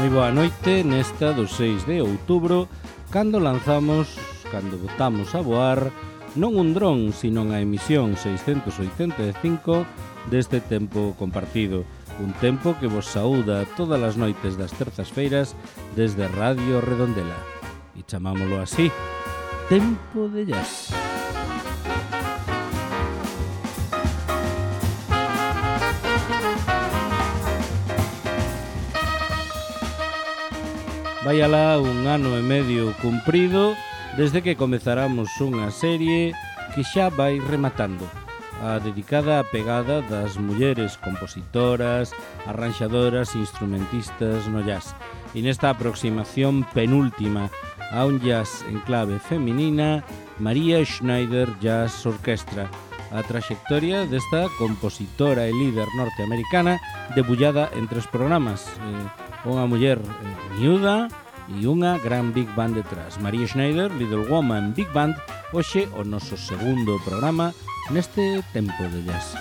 Moi boa noite nesta do 6 de outubro, cando botamos a voar non un dron, sino a emisión 685 deste tempo compartido. Un tempo que vos saúda todas as noites das terzas-feiras desde Radio Redondela. E chamámolo así, Tempo de Jazz. Vai alá un ano e medio cumprido desde que comezáramos unha serie que xa vai rematando, a dedicada á pegada das mulleres compositoras, arranxadoras e instrumentistas no jazz. E nesta aproximación penúltima a un jazz en clave feminina, Maria Schneider Jazz Orchestra, a traxectoria desta compositora e líder norteamericana debullada en 3 programas, unha muller miúda e unha gran big band detrás. Maria Schneider, Little Woman Big Band, hoxe o noso segundo programa neste tempo de jazz.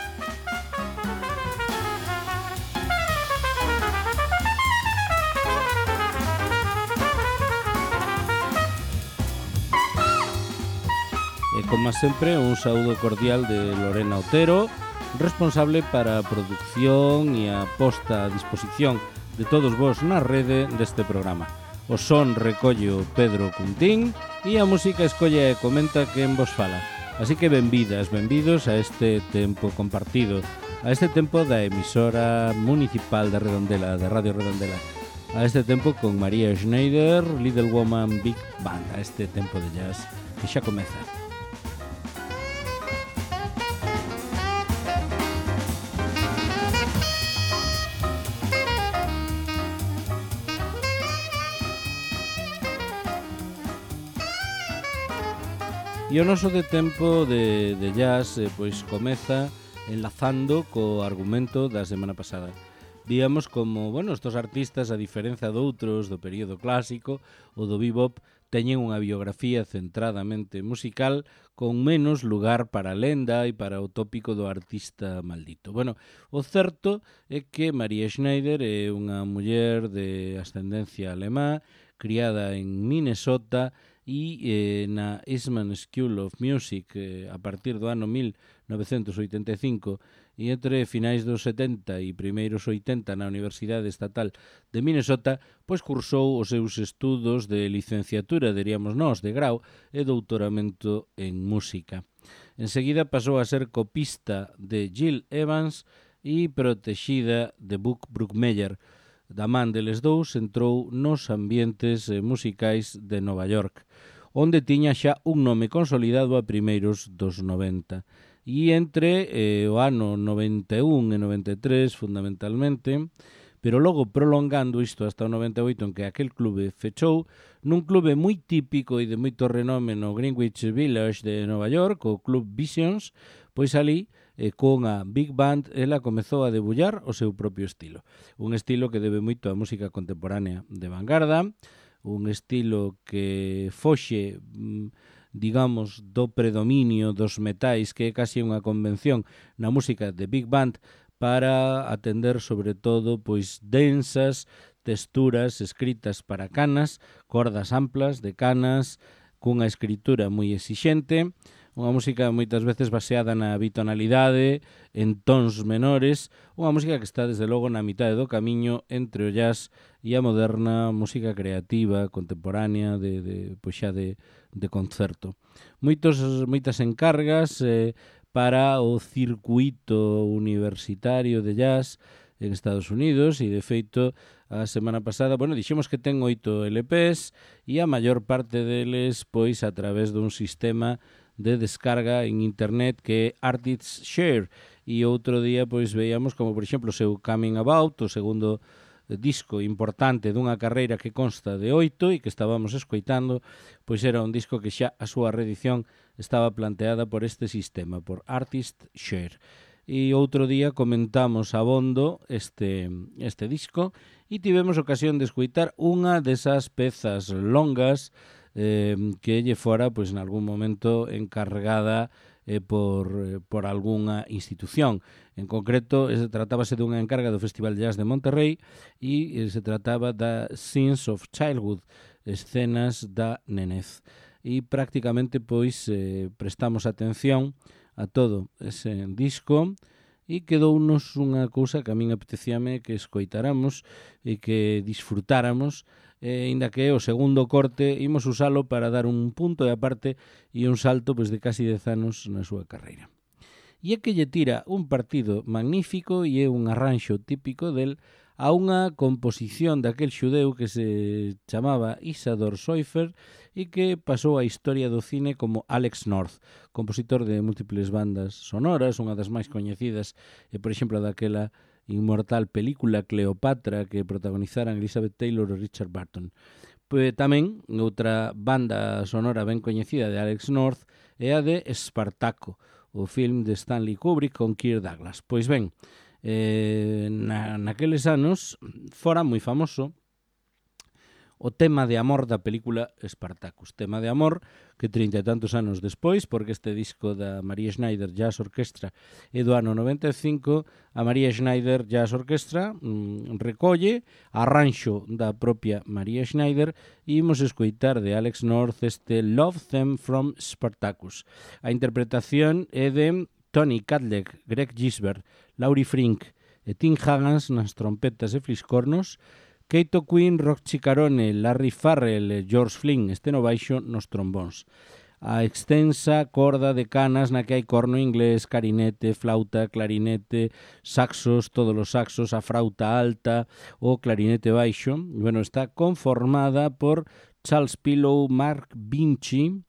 E como sempre, un saúdo cordial de Lorena Otero, responsable para a produción e a posta a disposición de todos vos na rede deste programa. O son recollo Pedro Cuntín e a música escolle e comenta quen vos fala. Así que benvidas, benvidos a este tempo compartido, a este tempo da emisora municipal de Redondela, de Radio Redondela, a este tempo con Maria Schneider, Little Woman Big Band, a este tempo de jazz que xa comeza. E o noso de tempo de jazz pois comeza enlazando co argumento da semana pasada. Víamos como, estos artistas, a diferenza doutros do período clásico ou do bebop, teñen unha biografía centradamente musical con menos lugar para a lenda e para o tópico do artista maldito. O certo é que Maria Schneider é unha muller de ascendencia alemá, criada en Minnesota e na Eastman School of Music a partir do ano 1985 e entre finais dos 70 e primeiros 80 na Universidade Estatal de Minnesota, pois cursou os seus estudos de licenciatura, diríamos nós, de grau e doutoramento en música. Enseguida pasou a ser copista de Gil Evans e protexida de Buck Brookmeyer. Da man deles dous entrou nos ambientes musicais de Nova York, onde tiña xa un nome consolidado a primeiros dos 90. E entre o ano 91 e 93, fundamentalmente, pero logo prolongando isto hasta o 98 en que aquel clube fechou, nun clube moi típico e de moito renome no Greenwich Village de Nova York, o Club Visions, pois ali, con a Big Band, ela comezou a debullar o seu propio estilo. Un estilo que debe moito á música contemporánea de vanguarda, un estilo que foxe, digamos, do predominio dos metais, que é casi unha convención na música de Big Band, para atender sobre todo pois densas texturas escritas para canas, cordas amplas de canas, cunha escritura moi exixente, unha música moitas veces baseada na bitonalidade, en tons menores, unha música que está desde logo na mitade do camiño entre o jazz e a moderna música creativa, contemporánea, de concerto. Moitas encargas para o circuito universitario de jazz en Estados Unidos e, de feito, a semana pasada, dixemos que ten 8 LPs e a maior parte deles, pois, a través dun sistema de descarga en internet que é Artists Share. E outro día, pois, veíamos como, por exemplo, o seu Coming About, o segundo disco importante dunha carreira que consta de 8 e que estábamos escoitando, pois era un disco que xa a súa reedición estaba planteada por este sistema, por Artist Share. E outro día comentamos abondo este disco e tivemos ocasión de escoitar unha desas pezas longas que lle fora, pois, en algún momento encargada por algunha institución. En concreto, tratábase dunha encarga do Festival de Jazz de Monterrey e se trataba da Scenes of Childhood, escenas da nenez. E prácticamente pois prestamos atención a todo ese disco e quedounos unha cousa que a min apetecíame que escoitáramos e que disfrutáramos, inda que o segundo corte imos usalo para dar un punto de aparte e un salto pois, de casi 10 anos na súa carreira. E é que lle tira un partido magnífico e é un arranxo típico del a unha composición daquel xudeu que se chamaba Isador Soifer e que pasou a historia do cine como Alex North, compositor de múltiples bandas sonoras, unha das máis coñecidas, por exemplo, daquela inmortal película Cleopatra que protagonizaran Elizabeth Taylor e Richard Burton. Pois tamén outra banda sonora ben coñecida de Alex North é a de Espartaco, o film de Stanley Kubrick con Kirk Douglas. Pois ben, naqueles anos fora moi famoso o tema de amor da película Spartacus. Tema de amor que 30 e tantos anos despois, porque este disco da Maria Schneider Jazz Orchestra é do ano 95, a Maria Schneider Jazz Orchestra recolle arranxo da propia Maria Schneider e imos escoitar de Alex North este Love Them from Spartacus. A interpretación é de Tony Kadlec, Greg Gisbert, Laurie Frink e Tim Higgins nas trompetas e fliscornos, Keito Quinn, Rock Cicarone, Larry Farrell e George Flynn, este no baixo nos trombóns. A extensa corda de canas na que hai corno inglés, clarinete, flauta, clarinete, saxos, todos os saxos, a flauta alta, o clarinete baixo. Bueno, está conformada por Charles Pillow, Mark Vinci,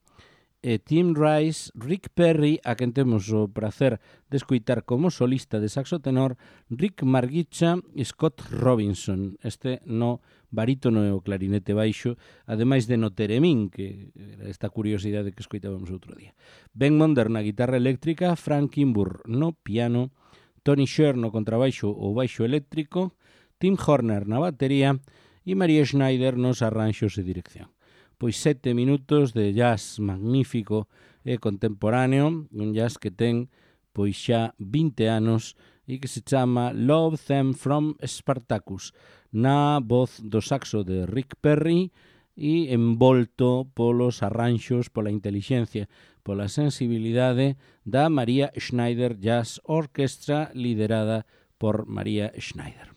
Tim Rice, Rick Perry, a quen temos o prazer de escoitar como solista de saxo tenor, Rick Margicha e Scott Robinson, este no barítono e o clarinete baixo, ademais de no teremín, que era esta curiosidade que escoitábamos outro día. Ben Monder na guitarra eléctrica, Frank Kimbur no piano, Tony Sher no contrabaixo ou baixo eléctrico, Tim Horner na batería e Maria Schneider nos arranxos e dirección. Pois 7 minutos de jazz magnífico e contemporáneo, un jazz que ten pois xa 20 anos e que se chama Love Them from Spartacus, na voz do saxo de Rick Perry e envolto polos arranxos, pola intelixencia, pola sensibilidade da Maria Schneider Jazz Orchestra liderada por Maria Schneider.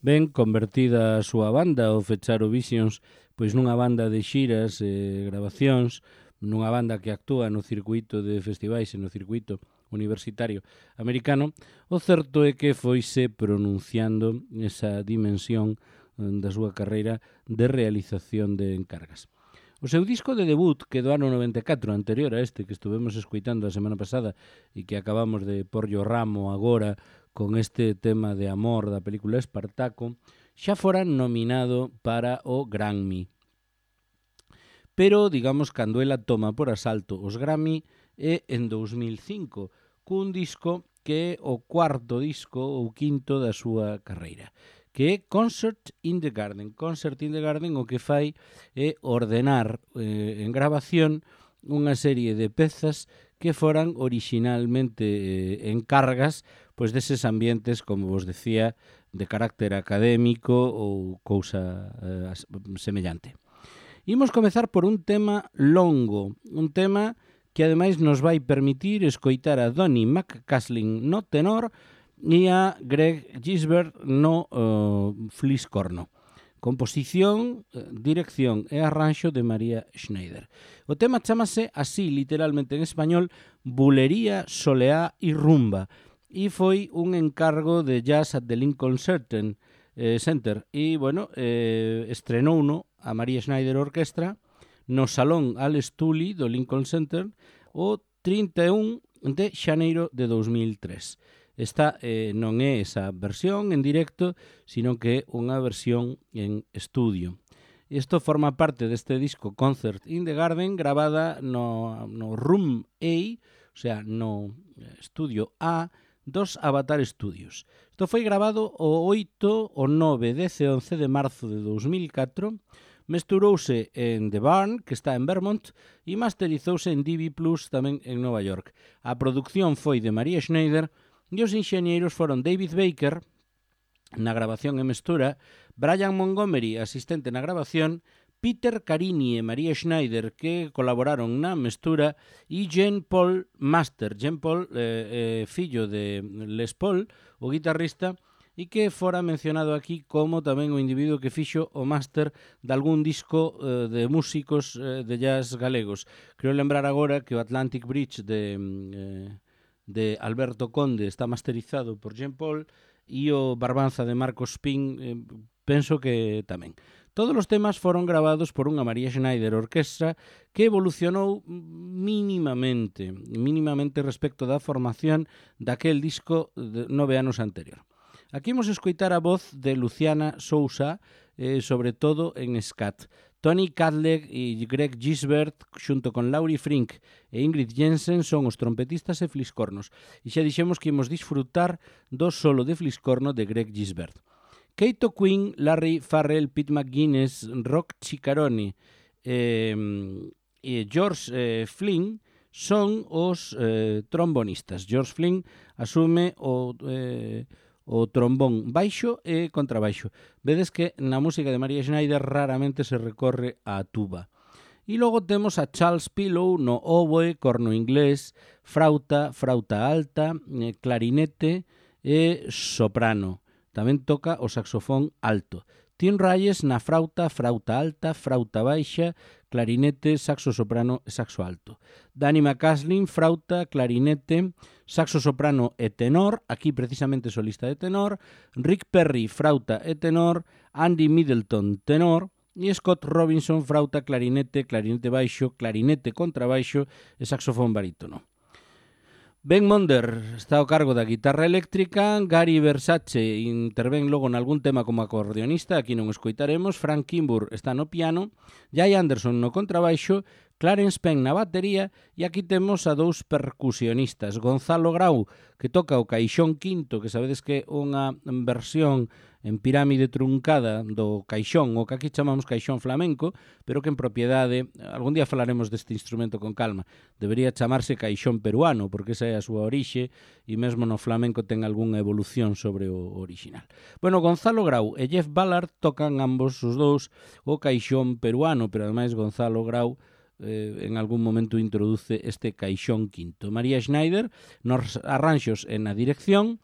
Ben convertida a súa banda, o Fecharo Visions, pois nunha banda de xiras e grabacións, nunha banda que actúa no circuito de festivais e no circuito universitario americano, o certo é que foise pronunciando esa dimensión da súa carreira de realización de encargas. O seu disco de debut, que do ano 94, anterior a este que estuvemos escuitando a semana pasada e que acabamos de porlle o ramo agora con este tema de amor da película Espartaco, xa fora nominado para o Grammy. Pero, digamos, cando ela toma por asalto os Grammy é en 2005, cun disco que é o cuarto disco ou quinto da súa carreira, que é Concert in the Garden. Concert in the Garden o que fai é ordenar en grabación unha serie de pezas que foran orixinalmente encargas pois deses ambientes, como vos decía, de carácter académico ou cousa semellante. Imos comezar por un tema longo, un tema que ademais nos vai permitir escoitar a Donny McCaslin no tenor e a Greg Gisbert no fliscorno. Composición, dirección e arranxo de María Schneider. O tema chamase así, literalmente en español, Bulería, Soleá e Rumba, e foi un encargo de Jazz at the Lincoln Center. E, bueno, estrenouno a María Schneider Orquestra no Salón Alex Tully do Lincoln Center o 31 de xaneiro de 2003. Esta non é esa versión en directo, sino que é unha versión en estudio. Isto forma parte deste disco Concert in the Garden, gravada no Room A, o sea, no estudio A, dos Avatar Studios. Isto foi grabado o 8, o 9, 10 e 11 de marzo de 2004, mesturouse en The Barn, que está en Vermont, e masterizouse en DV Plus, tamén en Nova York. A produción foi de María Schneider e os enxeñeiros foron David Baker, na grabación e mestura, Brian Montgomery, asistente na grabación, Peter Carini e María Schneider, que colaboraron na mestura, e Jean Paul Master. Jean Paul, fillo de Les Paul, o guitarrista, e que fora mencionado aquí como tamén o individuo que fixo o máster de algún disco de músicos de jazz galegos. Creo lembrar agora que o Atlantic Bridge de Alberto Conde está masterizado por Jean Paul e o Barbanza de Marcos Pin penso que tamén. Todos os temas foron gravados por unha María Schneider Orquestra que evolucionou mínimamente respecto da formación daquel disco de 9 anos anterior. Aquí imos escoitar a voz de Luciana Sousa, sobre todo en scat. Tony Cadleg e Greg Gisbert, xunto con Laurie Frink e Ingrid Jensen, son os trompetistas e fliscornos. E xa dixemos que imos disfrutar do solo de fliscorno de Greg Gisbert. Kato Quinn, Larry Farrell, Pete McGuinness, Rock Ciccarone e George Flynn son os trombonistas. George Flynn asume o trombón baixo e contrabaixo. Vedes que na música de María Schneider raramente se recorre á tuba. E logo temos a Charles Pillow no oboe, corno inglés, frauta alta, clarinete e soprano. Tamén toca o saxofón alto. Tim Reyes na frauta alta, frauta baixa, clarinete, saxo soprano e saxo alto. Danny McCaslin, frauta, clarinete, saxo soprano e tenor, aquí precisamente solista de tenor. Rick Perry, frauta e tenor. Andy Middleton, tenor. E Scott Robinson, frauta, clarinete, clarinete baixo, clarinete contrabaixo e saxofón barítono. Ben Monder está ao cargo da guitarra eléctrica, Gary Versace intervén logo nalgún tema como acordeonista, aquí non o escoitaremos, Frank Kimbrough está no piano, Jay Anderson no contrabaixo, Clarence Penn na batería e aquí temos a dous percusionistas, Gonzalo Grau, que toca o caixón quinto, que sabedes que é unha versión en pirámide truncada do caixón, o que aquí chamamos caixón flamenco, pero que en propiedade, algún día falaremos deste instrumento con calma, debería chamarse caixón peruano, porque esa é a súa orixe, e mesmo no flamenco ten algunha evolución sobre o original. Bueno, Gonzalo Grau e Jeff Ballard tocan ambos os dous o caixón peruano, pero ademais Gonzalo Grau en algún momento introduce este caixón quinto. María Schneider nos arranxos e na dirección,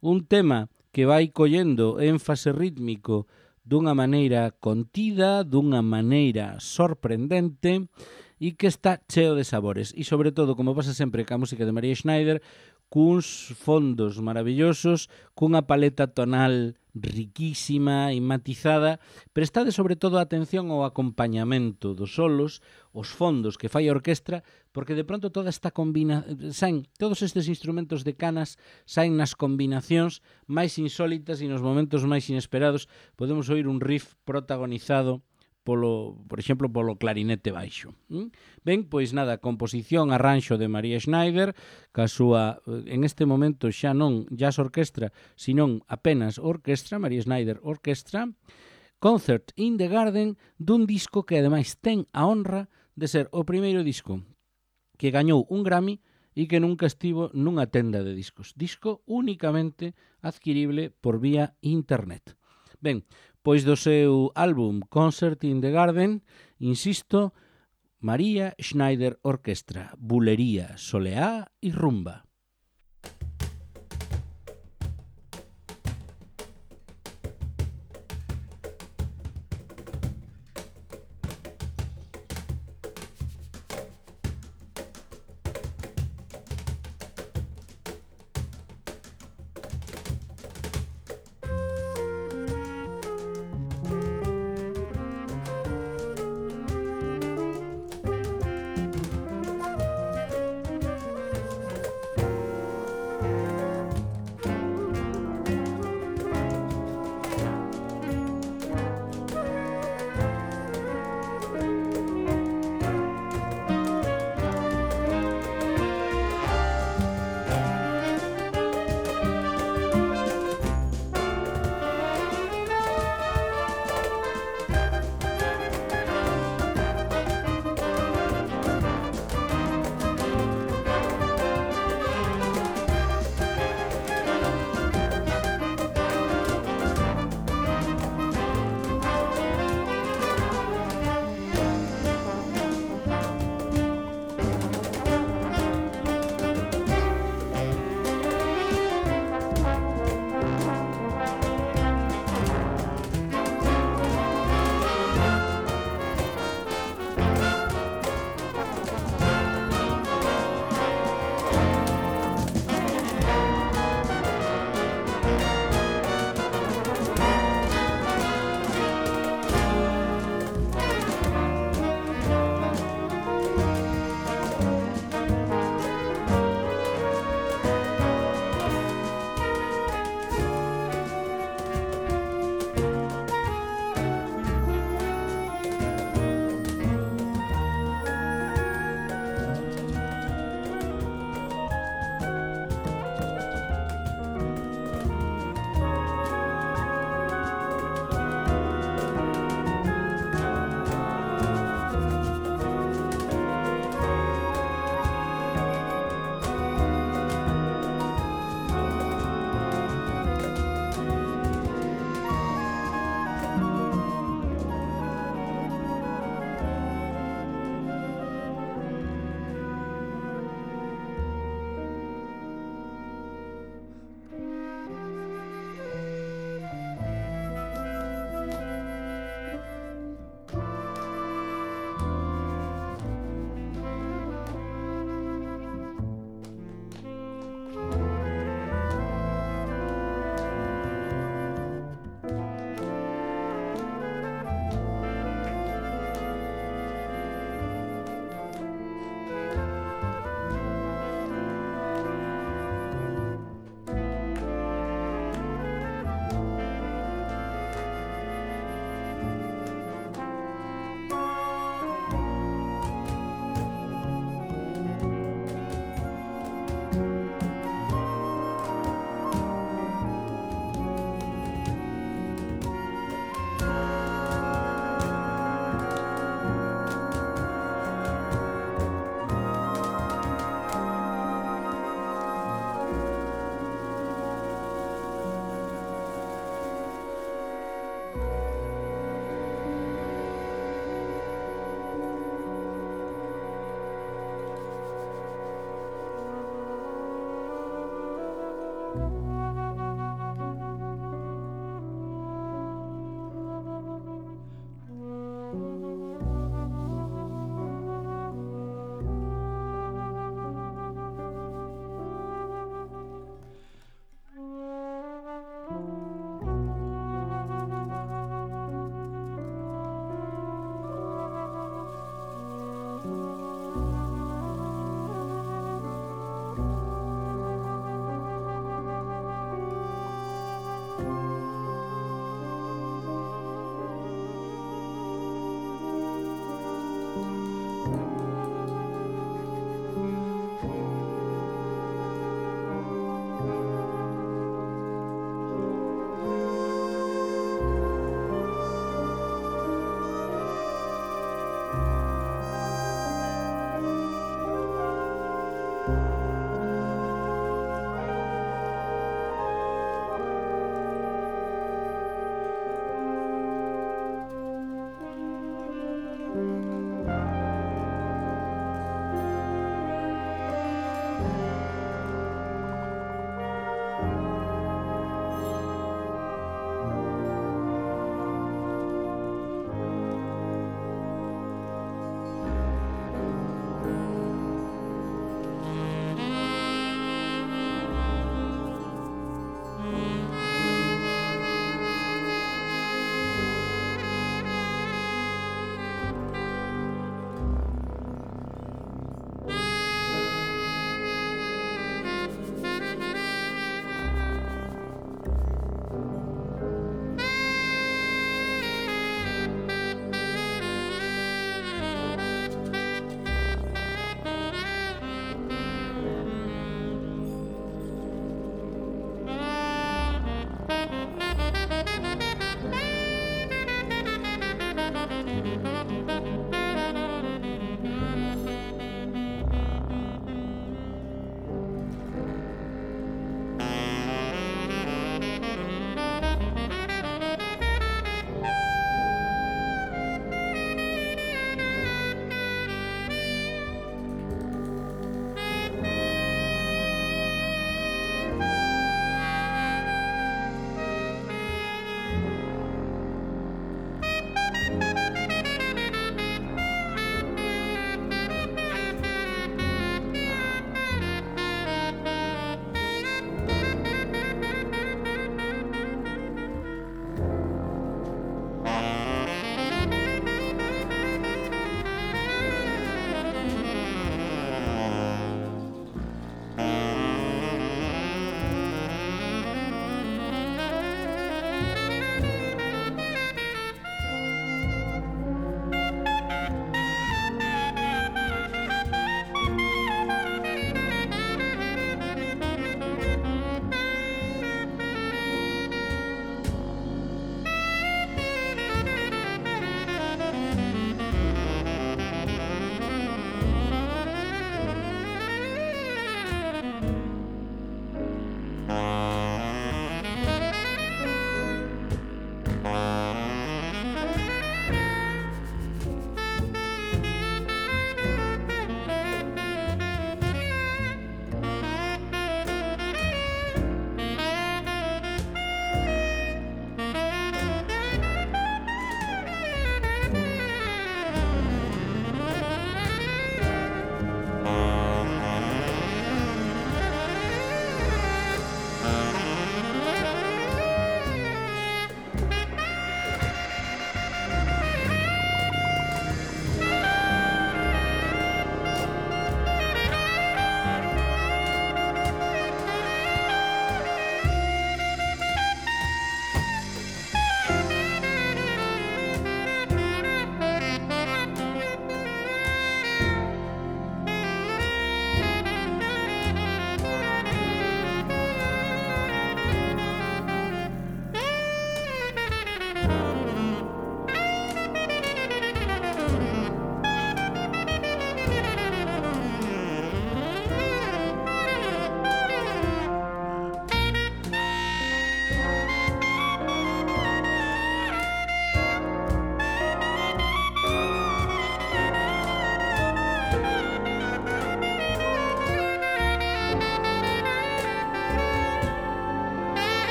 un tema que vai collendo énfase rítmico dunha maneira contida, dunha maneira sorprendente e que está cheo de sabores. E sobre todo, como pasa sempre ca música de María Schneider, cuns fondos maravillosos, cunha paleta tonal riquísima e matizada, prestade sobre todo atención ao acompañamento dos solos, os fondos que fai a orquestra, porque de pronto toda esta saen todos estes instrumentos de canas saen nas combinacións máis insólitas e nos momentos máis inesperados. Podemos oír un riff protagonizado por exemplo, polo clarinete baixo. Ben, pois nada, composición, arranxo de María Schneider, ca súa, en este momento xa non jazz orquestra, senón apenas orquestra, María Schneider Orquestra, Concert in the Garden, dun disco que ademais ten a honra de ser o primeiro disco que gañou un Grammy e que nunca estivo nunha tenda de discos. Disco únicamente adquirible por vía internet. Ben, pois do seu álbum Concert in the Garden, insisto, María Schneider Orquestra, bulería, soleá e rumba.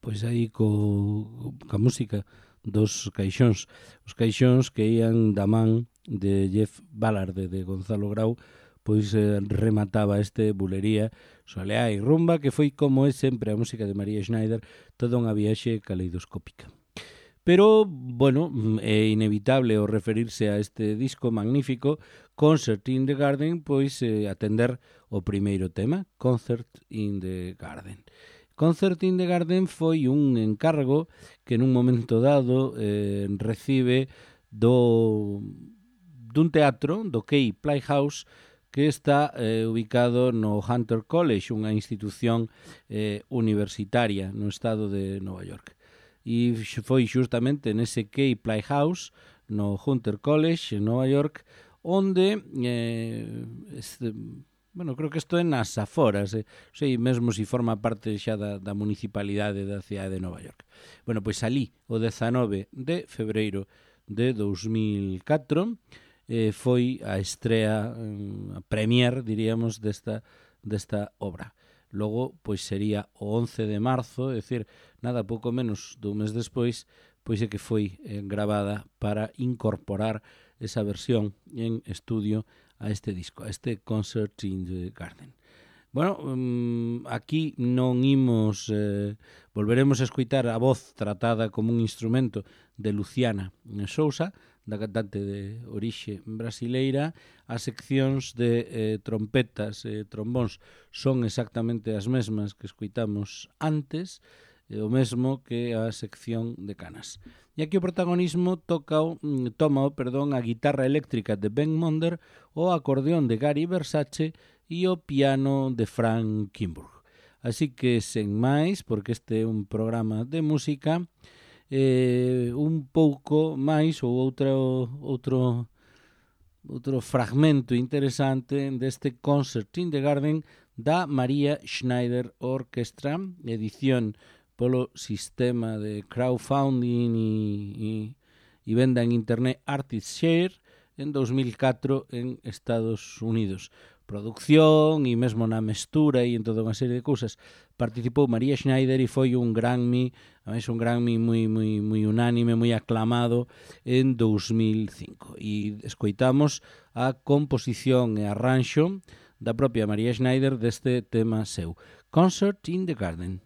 pois aí ca música dos Caixóns. Os Caixóns que ían da man de Jeff Ballard, de Gonzalo Grau, pois remataba este bulería, soleá e rumba, que foi como é sempre a música de María Schneider, toda unha viaxe caleidoscópica. Pero, bueno, é inevitable o referirse a este disco magnífico, Concert in the Garden, pois atender o primeiro tema, Concert in the Garden. Concert in the Garden foi un encargo que nun momento dado recibe dun teatro, do Key Playhouse, que está ubicado no Hunter College, unha institución universitaria no estado de Nova York. E foi xustamente nese Key Playhouse, no Hunter College, en Nova York, onde, creo que isto é nas aforas, sei mesmo se forma parte xa da municipalidade da cidade de Nova York. Bueno, pois salí o 19 de febreiro de 2004, foi a estrea, a premier, diríamos, desta obra. Logo, pois sería o 11 de marzo, é dicir, nada pouco menos dun mes despois, pois é que foi gravada para incorporar esa versión en estudio a este disco, a este Concert in the Garden. Bueno, aquí non imos, volveremos a escoitar a voz tratada como un instrumento de Luciana Sousa, da cantante de orixe brasileira. As seccións de trompetas e trombóns son exactamente as mesmas que escoitamos antes, o mesmo que a sección de canas. E aquí o protagonismo toma a guitarra eléctrica de Ben Monder, o acordeón de Gary Versace e o piano de Frank Kimbrug. Así que, sen máis, porque este é un programa de música, un pouco máis ou outro fragmento interesante deste Concert in the Garden da María Schneider Orchestra, edición polo sistema de crowdfunding e venda en internet ArtistShare en 2004 en Estados Unidos. Producción e mesmo na mestura e en toda unha serie de cousas participou María Schneider e foi un Grammy, un Grammy moi unánime, moi aclamado en 2005. E escoitamos a composición e arranxo da propia María Schneider deste tema seu, Concert in the Garden.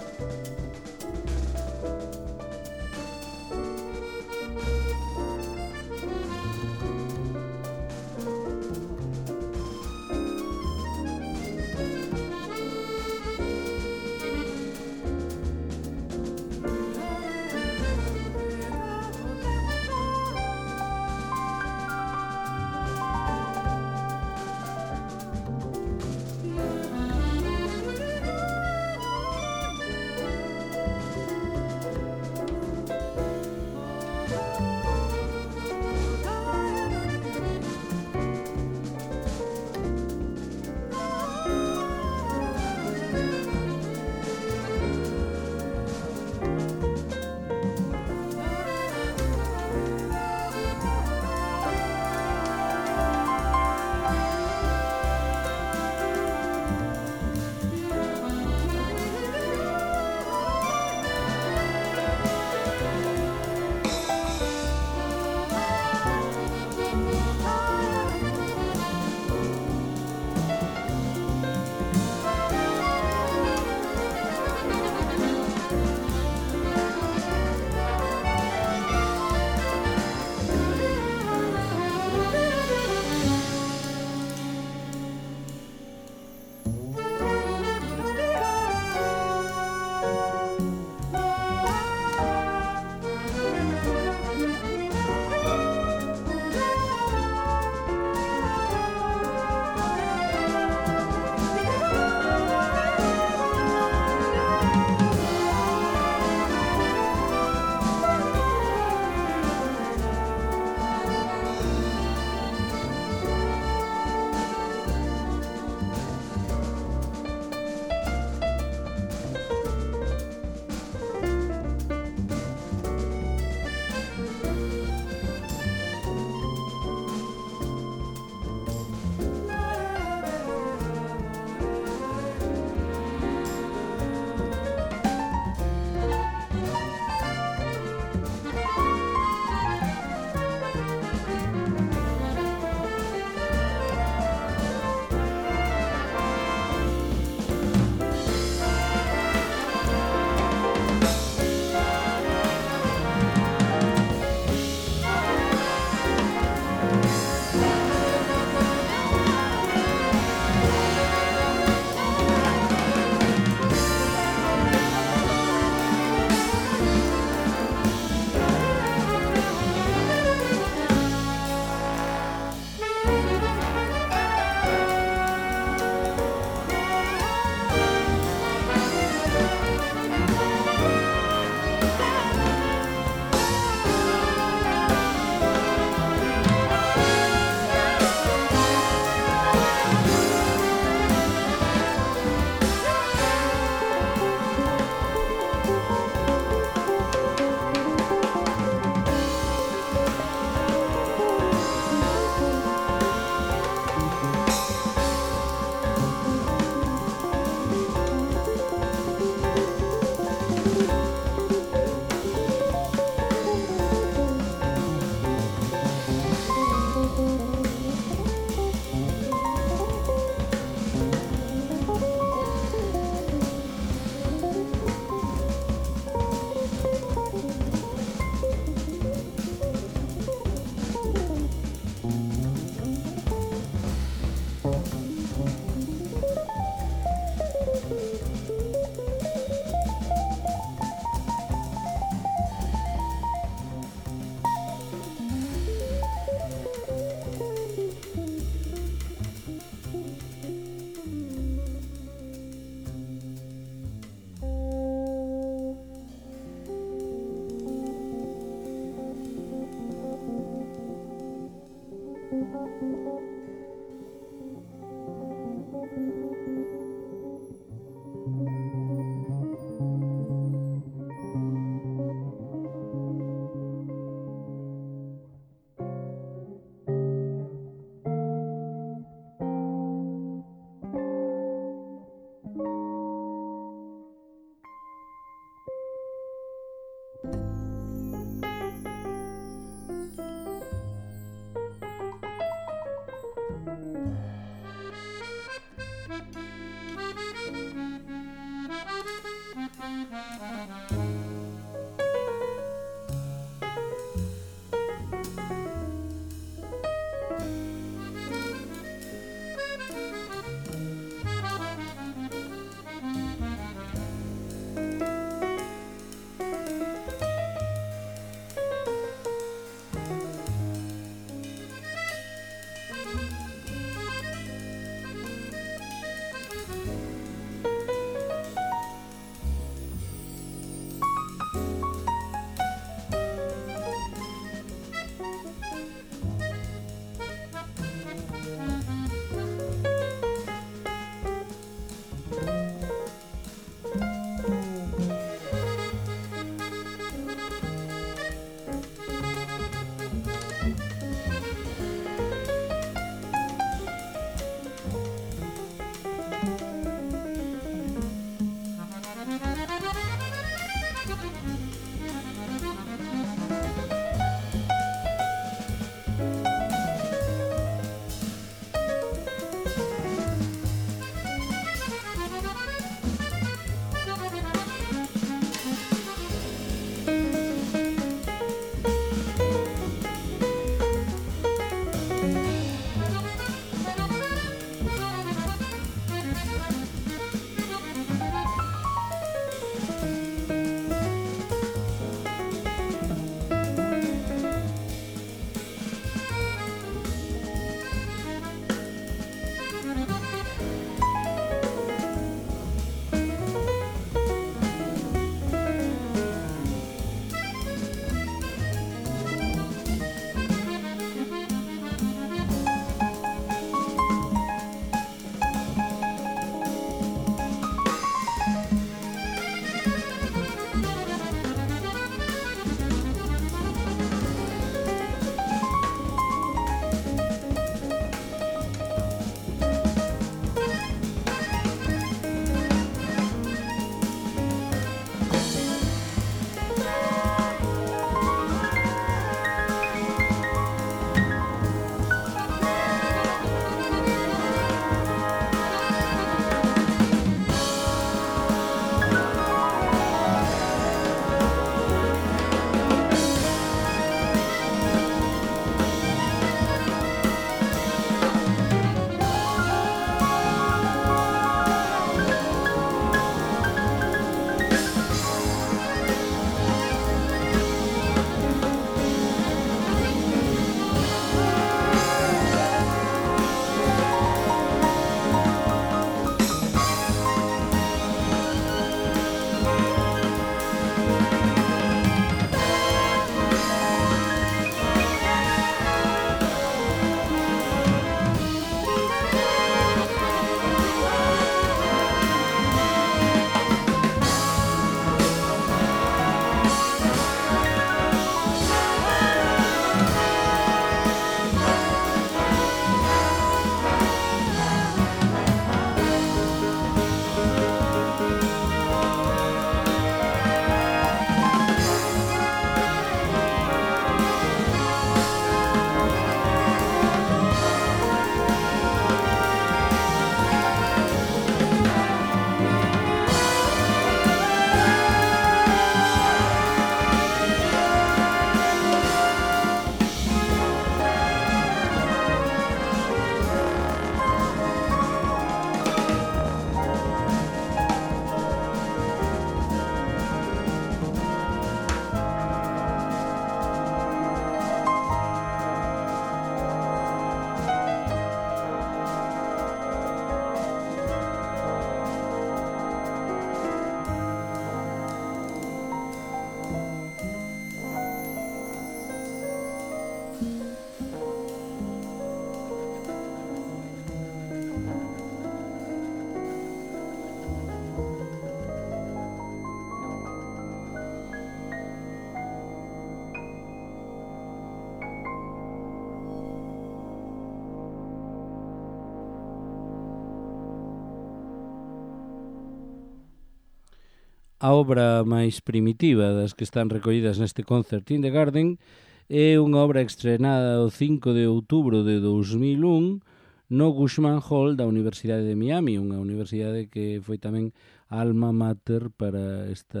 A obra máis primitiva das que están recollidas neste Concert in the Garden é unha obra estrenada o 5 de outubro de 2001 no Cushman Hall da Universidade de Miami, unha universidade que foi tamén alma mater para esta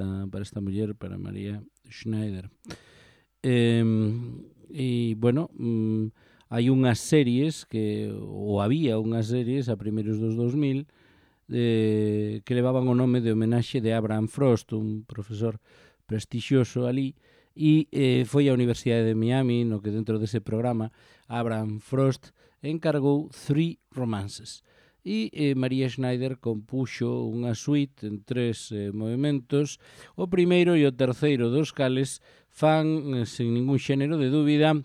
muller, para Maria Schneider. Bueno, hai unhas series ou había unhas series a primeiros dos 2000 que levaban o nome de homenaxe de Abraham Frost, un profesor prestixioso ali, e foi a Universidade de Miami no que dentro dese programa Abraham Frost encargou 3 romances. E Maria Schneider compuxo unha suite en 3 movimentos, o primeiro e o terceiro dos cales fan, sen ningún xénero de dúbida,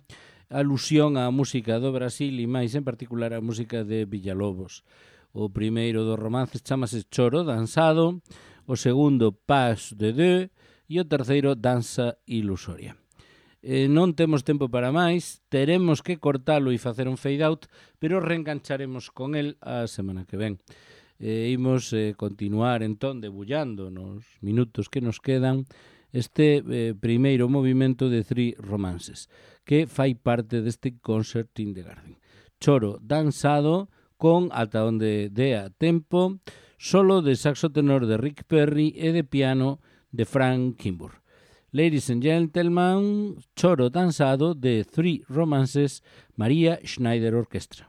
alusión á música do Brasil e máis en particular á música de Villalobos. O primeiro dos romances chamase Choro Danzado, o segundo Pas de Deux e o terceiro Danza Ilusoria. Non temos tempo para máis, teremos que cortalo e facer un fade out, pero reengancharemos con el a semana que ven. Imos continuar entón debullando nos minutos que nos quedan este primeiro movimento de 3 romances, que fai parte deste Concert in the Garden. Choro Danzado, con ata onde dea tempo, solo de saxo tenor de Rick Perry e de piano de Frank Kimbrough. Ladies and gentlemen, Choro Danzado de 3 romances, Maria Schneider Orchestra.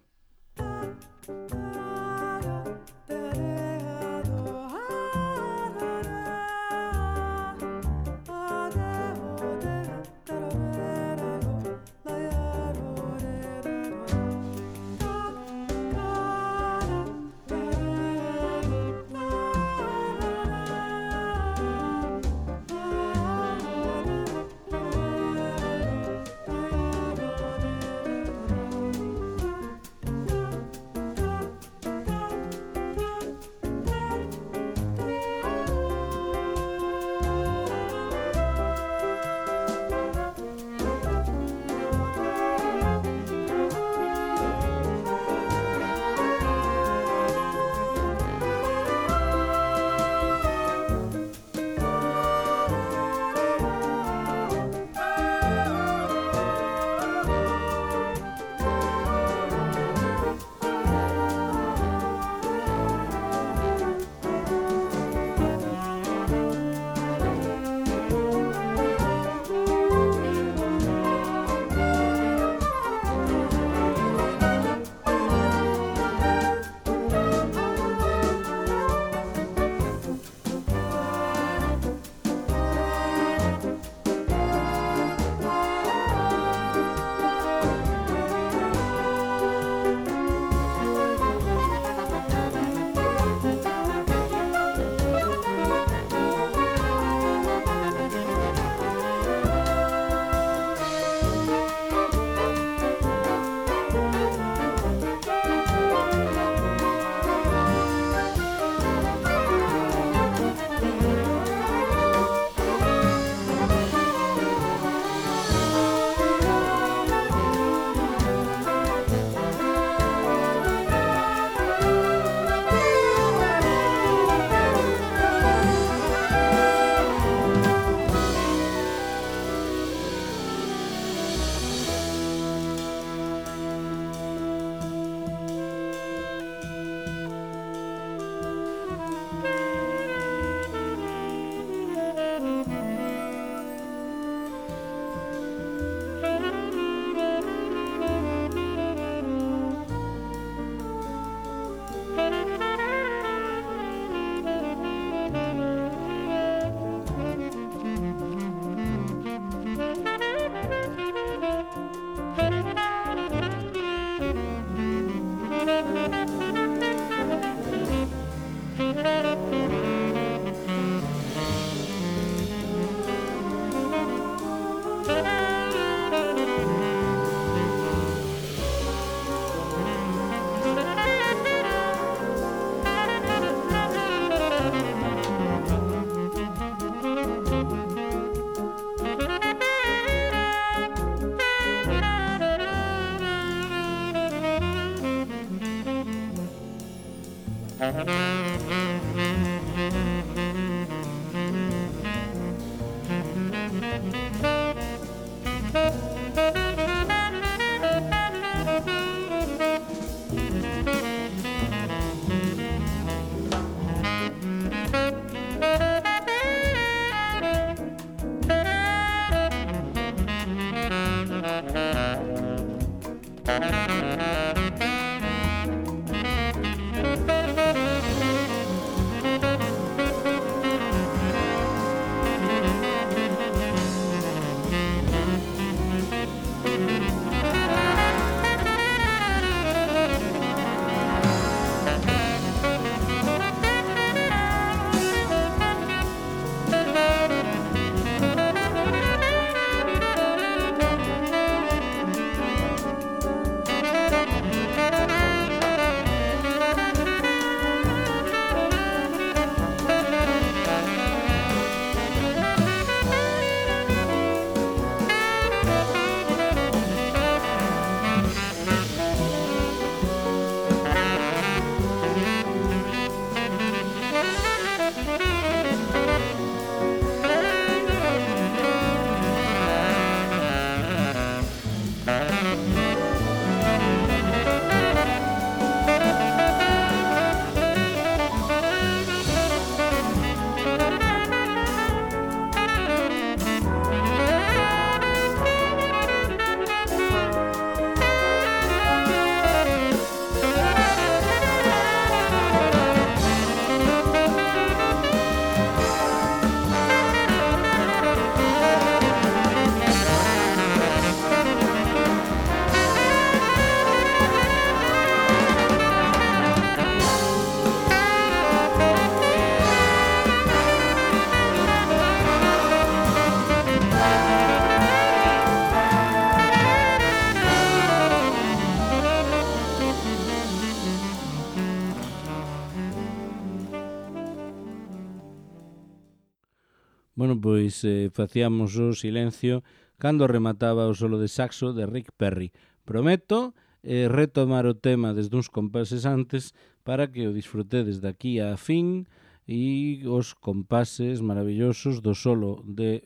Bueno, pois facíamos o silencio cando remataba o solo de saxo de Rick Perry. Prometo retomar o tema desde uns compases antes para que o disfrutedes daqui a fin e os compases maravillosos do solo de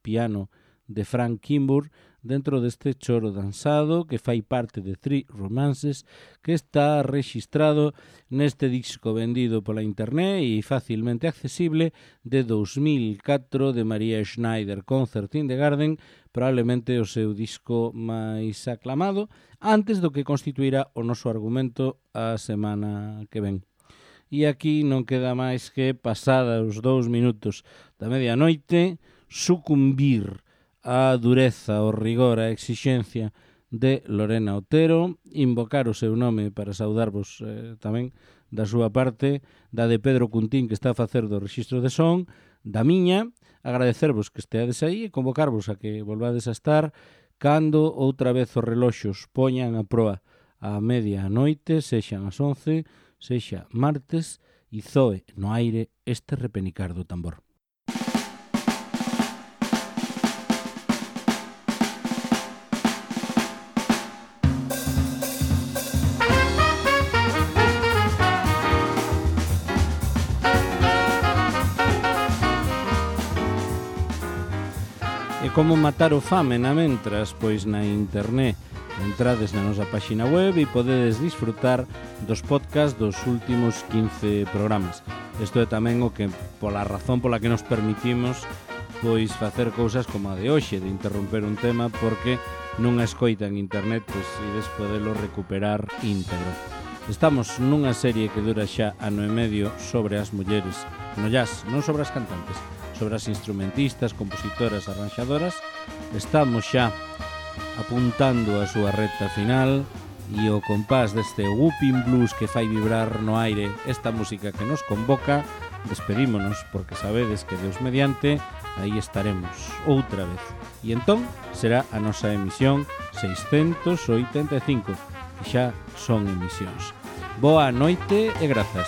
piano de Frank Kimbrough dentro deste choro danzado que fai parte de Three Romances, que está rexistrado neste disco vendido pola internet e facilmente accesible de 2004 de Maria Schneider, Concert in the Garden, probablemente o seu disco máis aclamado, antes do que constituirá o noso argumento a semana que ven. E aquí non queda máis que, pasada os 2 minutos da medianoite, sucumbir a dureza, o rigor, a exixencia de Lorena Otero, invocar o seu nome para saudarvos tamén da súa parte, da de Pedro Cuntín, que está a facer do rexistro de son, da miña, agradecervos que esteades aí e convocarvos a que volvades a estar cando outra vez os reloxos poñan a proa a media noite, sexan as 11, sexa martes, e zoe no aire este repenicar do tambor. E como matar o fame na mentras? Pois na internet entrades na nosa páxina web e podedes disfrutar dos podcasts dos últimos 15 programas. Isto é tamén o que, pola razón pola que nos permitimos pois facer cousas como a de hoxe, de interromper un tema, porque nunha escoita en internet pois ides podelo recuperar íntegro. Estamos nunha serie que dura xa ano e medio sobre as mulleres no jazz, non sobre as cantantes, sobre as instrumentistas, compositoras, arranxadoras. Estamos xa apuntando a súa recta final e o compás deste whooping blues que fai vibrar no aire esta música que nos convoca, despedímonos porque sabedes que Deus mediante aí estaremos outra vez. E entón será a nosa emisión 685, que xa son emisións. Boa noite e grazas.